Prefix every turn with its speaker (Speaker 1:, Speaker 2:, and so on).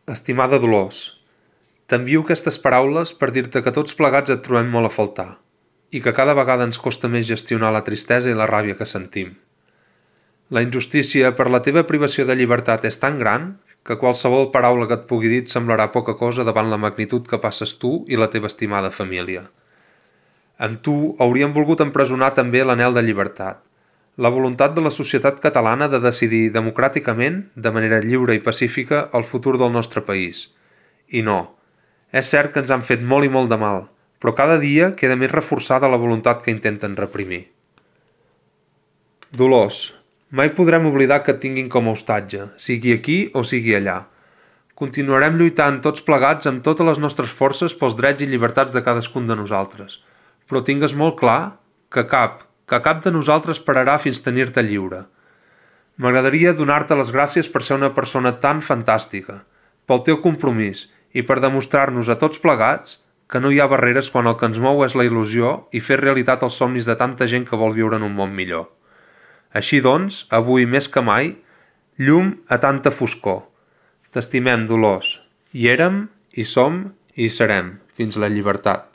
Speaker 1: Estimada Dolors, t'envio aquestes paraules per dir-te que tots plegats et trobem molt a faltar i que cada vegada ens costa més gestionar la tristesa i la ràbia que sentim. La injustícia per la teva privació de llibertat és tan gran que qualsevol paraula que et pugui dir et semblarà poca cosa davant la magnitud que passes tu i la teva estimada família. Amb tu hauríem volgut empresonar també l'anhel de llibertat, la voluntat de la societat catalana de decidir democràticament, de manera lliure i pacífica, el futur del nostre país. I no, és cert que ens han fet molt i molt de mal, però cada dia queda més reforçada la voluntat que intenten reprimir. Dolors, mai podrem oblidar que et tinguin com a hostatge, sigui aquí o sigui allà. Continuarem lluitant tots plegats amb totes les nostres forces pels drets i llibertats de cadascun de nosaltres, però tingues molt clar que cap de nosaltres pararà fins tenir-te lliure. M'agradaria donar-te les gràcies per ser una persona tan fantàstica, pel teu compromís i per demostrar-nos a tots plegats que no hi ha barreres quan el que ens mou és la il·lusió i fer realitat els somnis de tanta gent que vol viure en un món millor. Així doncs, avui més que mai, llum a tanta foscor. T'estimem, Dolors. Hi érem, hi som i hi serem, fins la llibertat.